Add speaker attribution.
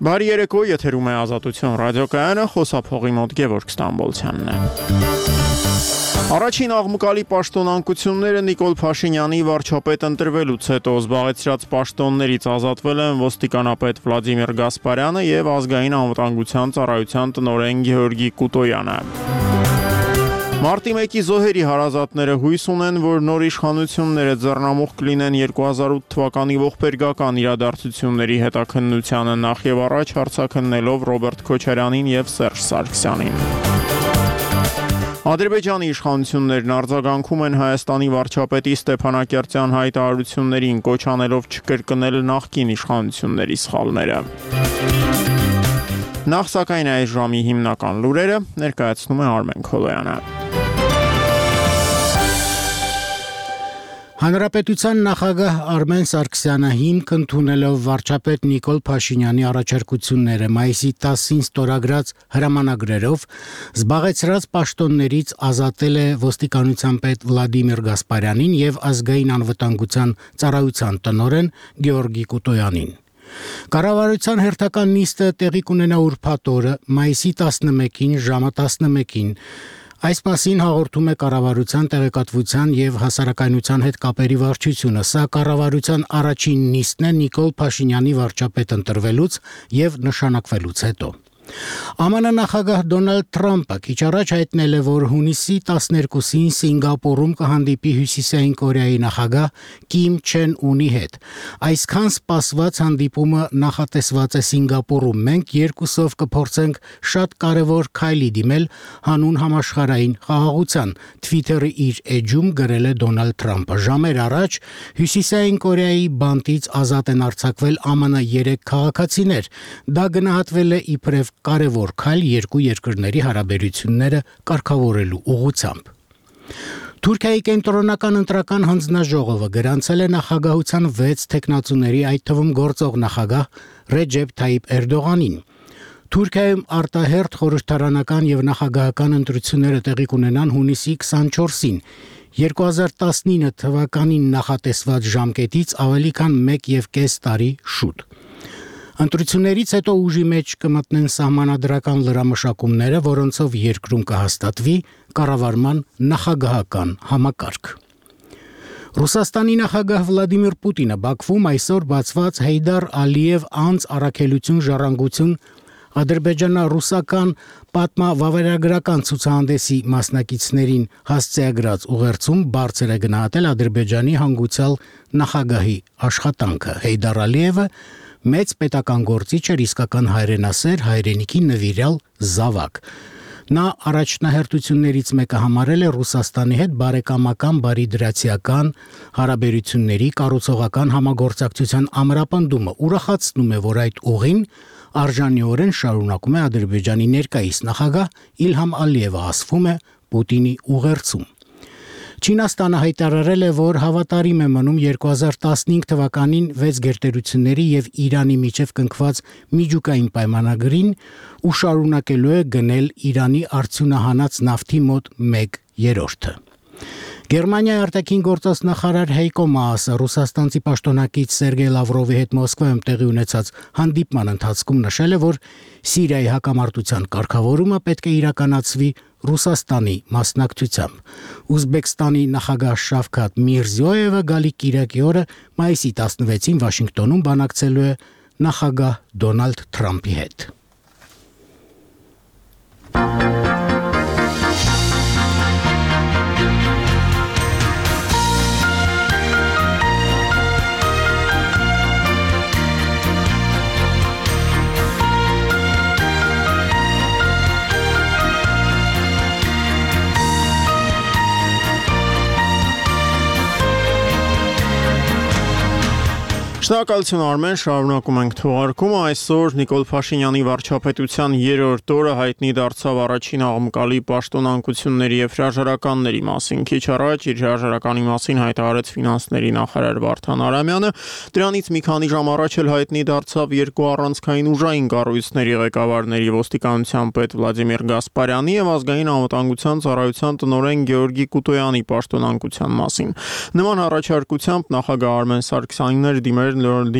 Speaker 1: Բարի երեկո, եթերում է Ազատություն ռադիոկայանը, խոսափողի մոտ Գևորգ Ստամբոլցյանն է։ Առաջին աղմկալի պաշտոնանկությունները Նիկոլ Փաշինյանի վարչապետ ընտրվելուց հետո զբաղեցրած պաշտոններից ազատվել են ոստիկանապետ Վլադիմիր Գասպարյանը եւ ազգային անվտանգության ծառայության տնօրեն Գեորգի Կուտոյանը։ Մարտի 1-ի զոհերի հարազատները հույս ունեն, որ նոր իշխանությունները ձեռնամուխ կլինեն 2008 թվականի ողբերգական իրադարձությունների հետաքննությանը նախ եւ առաջ հարցաքննելով Ռոբերտ Քոչարյանին եւ Սերժ Սարգսյանին։ Ադրբեջանի իշխանություններն արձագանքում են Հայաստանի վարչապետի Ստեփանակերտյան հայտարարություններին, կոչ անելով չկրկնել նախկին իշխանությունների սխալները։ Նախ սակայն այս ժամի հիմնական լուրերը ներկայացնում է Արմեն Քոլոյանը։
Speaker 2: Հանրապետության նախագահ Արմեն Սարգսյանը հիմք ընդունելով վարչապետ Նիկոլ Փաշինյանի առաջարկությունները մայիսի 10-ին ստորագրած հրամանագրերով զբաղեցրած պաշտոններից ազատել է ոստիկանության պետ Վլադիմիր Գասպարյանին եւ ազգային անվտանգության ծառայության տնօրեն Գեորգի Կուտոյանին։ Կառավարության հերթական նիստը տեղի կունենա ուրբաթ օրը մայիսի 11-ին ժամը 11-ին։ Այս մասին հաղորդում է կառավարության տեղեկատվության եւ հասարակայնության հետ կապերի վարչությունը։ Սա կառավարության առաջին նիստն է Նիկոլ Փաշինյանի վարչապետ ընտրվելուց եւ նշանակվելուց հետո։ ԱՄՆ նախագահ Դոնալդ Թրամփը քիչ առաջ հայտնել է, որ հունիսի 12-ին Սինգապուրում կհանդիպի Հյուսիսային Կորեայի նախագահ Կիմ Չեն Ունի հետ։ Այսքան սպասված հանդիպումը նախատեսված է Սինգապուրում։ Մենք երկուսով կփորձենք շատ կարևոր քայլի դիմել հանուն համաշխարհային խաղաղության, Twitter-ի իր էջում գրել է Դոնալդ Թրամփը։ Ժամեր առաջ Հյուսիսային Կորեայի բանտից ազատ են արձակվել ԱՄՆ 3 քաղաքացիներ։ Դա գնահատվել է իբրև կարևոր քայլ երկու երկրների հարաբերությունները կարգավորելու ուղղությամբ։ Թուրքիայի կենտրոնական ընտրական հանձնաժողովը գրանցել է նախագահության 6 թեկնածուների, այդ թվում գործող նախագահ Ռեջեփ Թայիփ Էրդողանին։ Թուրքիայում արտահերթ խորհրդարանական եւ նախագահական ընտրությունները տեղի կունենան հունիսի 24-ին։ 2019 թվականին նախատեսված ժամկետից ավելի քան 1.5 տարի շուտ։ Ընտրություններից հետո ուժի մեջ կմտնեն սահմանադրական լրամշակումները, որոնցով երկրում կհաստատվի կառավարման նախագահական համակարգ։ Ռուսաստանի նախագահ Վլադիմիր Պուտինը Բաքվում այսօր բացված Հեյդար Ալիև անց առաքելություն ժառանգություն ադրբեջանա-ռուսական պատմավավերագրական ցուցահանդեսի մասնակիցներին հասցեագրած ուղերձում բարձր է գնահատել Ադրբեջանի հանգուցյալ նախագահի աշխատանքը։ Հեյդար Ալիևը մեծ պետական գործիչ էր, իսկական հայրենասեր, հայրենիքի նվիրյալ զավակ։ Նա առաջնահերթություններից մեկը համարել է Ռուսաստանի հետ բարեկամական, բարիդրացիական հարաբերությունների կառուցողական համագործակցության ամրապնդումը։ Ուրախացնում է, որ այդ ուղին արժանիորեն շարունակում է Ադրբեջանի ներկայիս նախագահ Իլհամ Ալիևը, ասվում է Պուտինի ուղերձում։ Չինաստանը հայտարարել է, որ հավատարիմ է մնում 2015 թվականին 6 գերտերությունների եւ Իրանի միջև կնքված միջուկային պայմանագրին ու շարունակելու է գնել Իրանի արդյունահանած նավթի մոտ 1/3։ Գերմանիայի արտաքին գործոս նախարար Հեյկո Մաասը ռուսաստանցի պաշտոնակից Սերգեյ Լավրովի հետ Մոսկվայում տեղի ունեցած հանդիպման ընթացքում նշել է, որ Սիրիայի հակամարտության կարգավորումը պետք է իրականացվի Ռուսաստանի մասնակցությամբ։ Ուզբեկստանի նախագահ Շավքաթ Միրզիոևը գալիք կիրակի օրը մայիսի 16-ին Վաշինգտոնում բանակցելու է նախագահ Դոնալդ Թրամփի հետ։
Speaker 1: Շնորհակալություն Արմեն, շարունակում ենք թողարկումը։ Այսօր Նիկոլ Փաշինյանի վարչապետության 3-րդ օրը հայտնի դարձավ առաջին աղմկալի պաշտոնանկությունների եւ հրաժարականների մասին։ Քիչ առաջ իր հրաժարականի մասին հայտարարեց ֆինանսների նախարար Վարդան Արամյանը։ Դրանից մի քանի ժամ առաջ էլ հայտնի դարձավ երկու առանցքային ուժային կառույցների ղեկավարների ոստիկանության պետ Վլադիմիր Գասպարյանի եւ ազգային անվտանգության ծառայության տնօրեն Գեորգի Կուտոյանի պաշտոնանկության մասին։ Նման առաջարկությամբ նախագահ Արմեն Սարգսյանն էր դիմել